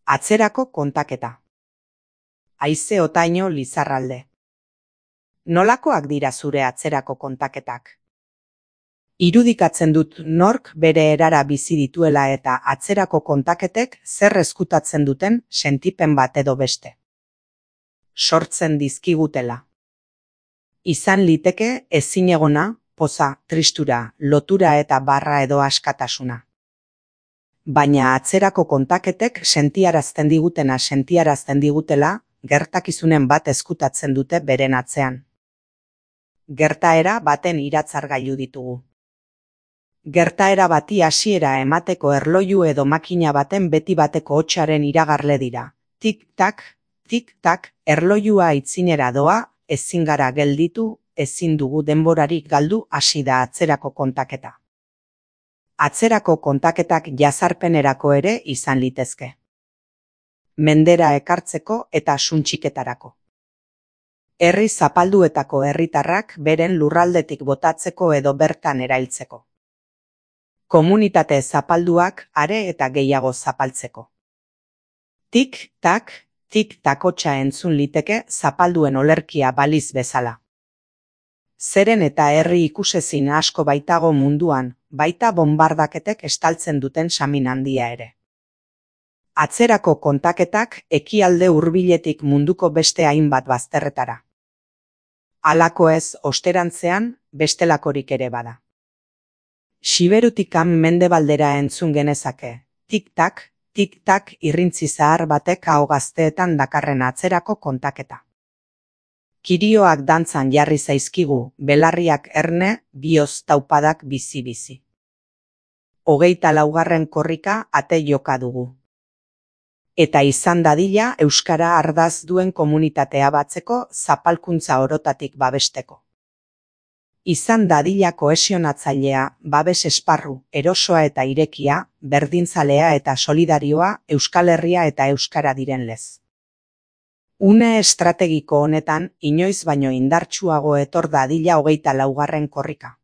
Atzerako kontaketa. Haize otaino Lizarralde. Nolakoak dira zure atzerako kontaketak? Irudikatzen dut nork bere erara bizi dituela eta atzerako kontaketek zer ezkutatzen duten sentipen bat edo beste. Sortzen dizkigutela. Izan liteke ezinegona, poza, tristura, lotura eta barra edo askatasuna. Baina atzerako kontaketek sentiarazten digutela gertakizunen bat ezkutatzen dute beren atzean. Gertaera baten iratzargailu ditugu. Gertaera bati hasiera emateko erloju edo makina baten beti bateko hotsaren iragarle dira. Tik-tak, tik-tak, erlojua aitzinera doa, ezin gara gelditu, ezin dugu denborarik galdu, hasi da atzerako kontaketa. Atzerako kontaketak jazarpenerako ere izan litezke. Mendera ekartzeko eta suntsiketarako. Herri zapalduetako herritarrak beren lurraldetik botatzeko edo bertan erailtzeko. Komunitate zapalduak are eta gehiago zapaltzeko. Tik-tak, tik-tak hotsa entzun liteke zapalduen olerkia baliz bezala. Zeren eta herri ikusezin asko baitago munduan, baita bonbardaketek estaltzen duten samin handia ere. Atzerako kontaketak ekialde hurbiletik munduko beste hainbat bazterretara. Halako ez osterantzean bestelakorik ere bada. Siberutikan mendebaldera entzun genezake, tik-tak, tik-tak irrintzi zahar batek aho gazteetan dakarren atzerako kontaketa. Kirioak dantzan jarri zaizkigu, belarriak erne, bihotz taupadak bizi-bizi. 24. korrika ate joka dugu. Eta izan dadila euskara ardaz duen komunitatea batzeko zapalkuntza orotatik babesteko. Izan dadila kohesionatzailea, babes esparru, erosoa eta irekia, berdintzalea eta solidarioa, Euskal Herria eta euskara diren lez. Une estrategiko honetan, inoiz baino indartsuago etor dadila 24. korrika.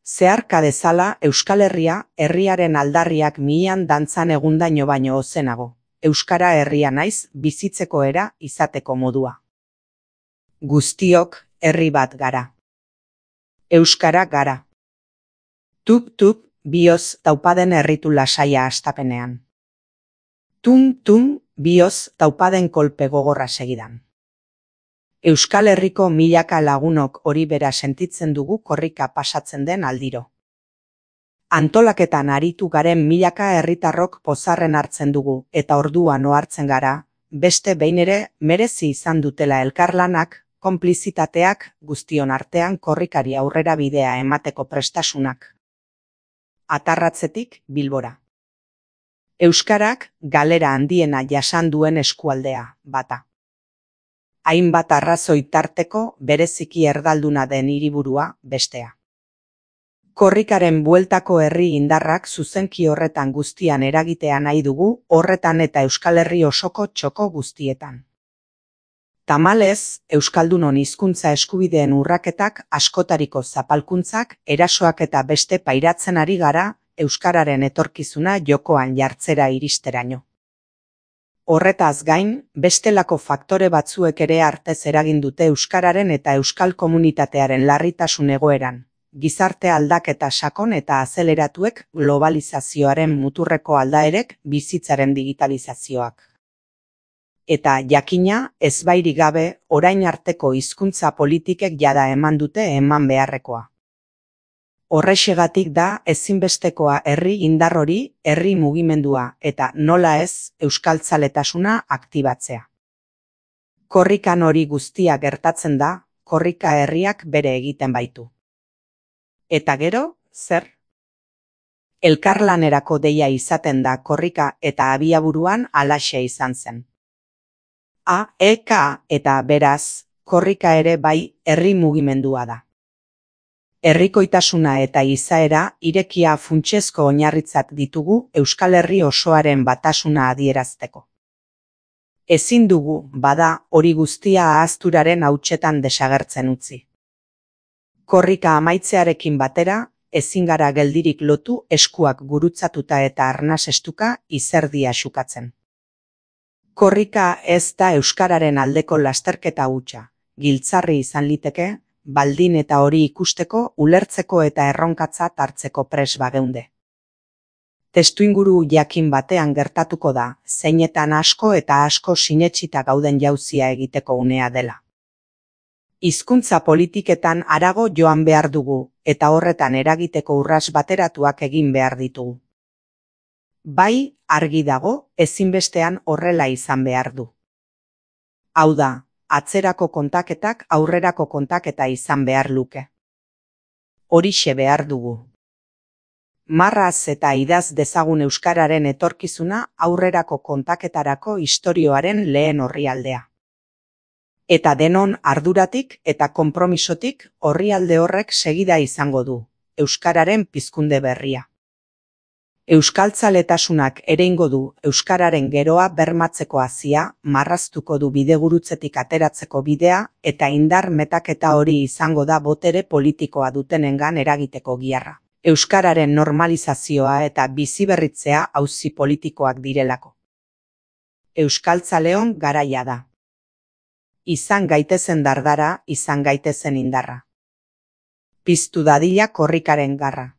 Zeharka dezala Euskal Herria, herriaren aldarriak mihian dantzan egundaino baino ozenago. Euskara herria naiz, bizitzeko era, izateko modua. Guztiok, herri bat gara. Euskara gara. Tup-tup, bihotz taupaden herritu lasaia astapenean. Tum-tum, bihotz taupaden kolpe gogorra segidan. Euskal Herriko milaka lagunok hori bera sentitzen dugu korrika pasatzen den aldiro. Antolaketan aritu garen milaka herritarrok pozarren hartzen dugu eta orduan ohartzen gara, beste behin ere merezi izan dutela elkarlanak, konplizitateak, guztion artean korrikari aurrera bidea emateko prestasunak. Atarratzetik Bilbora. Euskarak galera handiena jasan duen eskualdea, bata. Hainbat arrazoi tarteko bereziki erdalduna den hiriburua, bestea. Korrikaren bueltako herri indarrak zuzenki horretan guztian eragitea nahi dugu, horretan eta Euskal Herri osoko txoko guztietan. Tamalez, Euskaldunon hizkuntza eskubideen urraketak, askotariko zapalkuntzak, erasoak eta beste pairatzen ari gara, euskararen etorkizuna jokoan jartzera iristeraino. Horretaz gain, bestelako faktore batzuek ere artez eragin dute euskararen eta euskal komunitatearen larritasun egoeran. Gizarte aldaketa sakon eta azeleratuek, globalizazioaren muturreko aldaerek, bizitzaren digitalizazioak. Eta jakina, ezbairik gabe, orain arteko hizkuntza politikek jada eman dute eman beharrekoa. Horrexegatik da ezinbestekoa herri indar hori, herri mugimendua eta nola ez euskaltzaletasuna aktibatzea. Korrikan hori guztia gertatzen da, korrika herriak bere egiten baitu. Eta gero, zer? Elkarlanerako deia izaten da korrika eta abiaburuan halaxe izan zen. Eta beraz, korrika ere bai herri mugimendua da. Herrikoitasuna eta izaera irekia funtsezko oinarritzat ditugu Euskal Herri osoaren batasuna adierazteko. Ezin dugu, bada, hori guztia ahazturaren hautsetan desagertzen utzi. Korrika amaitzearekin batera, ezin gara geldirik lotu eskuak gurutzatuta eta arnasestuka izerdia xukatzen. Korrika ez da euskararen aldeko lasterketa hutsa, giltzarri izan liteke, baldin eta hori ikusteko, ulertzeko eta erronkatzat hartzeko pres bageunde. Testuinguru jakin batean gertatuko da, zeinetan asko eta asko sinetsita gauden jauzia egiteko unea dela. Hizkuntza politiketan harago joan behar dugu, eta horretan eragiteko urrats bateratuak egin behar ditugu. Bai, argi dago, ezinbestean horrela izan behar du. Hau da, atzerako kontaketak aurrerako kontaketa izan behar luke. Horixe behar dugu. Marraz eta idaz dezagun euskararen etorkizuna aurrerako kontaketarako istorioaren lehen orrialdea. Eta denon arduratik eta konpromisotik orrialde horrek segida izango du, euskararen pizkunde berria. Euskaltzaletasunak ereingo du euskararen geroa bermatzeko hazia, marraztuko du bidegurutzetik ateratzeko bidea eta indar metaketa hori izango da botere politikoa dutenengan eragiteko giharra. Euskararen normalizazioa eta biziberritzea auzi politikoak direlako. Euskaltzaleon garaia da. Izan gaitezen dardara, izan gaitezen indarra. Piztu dadila korrikaren garra.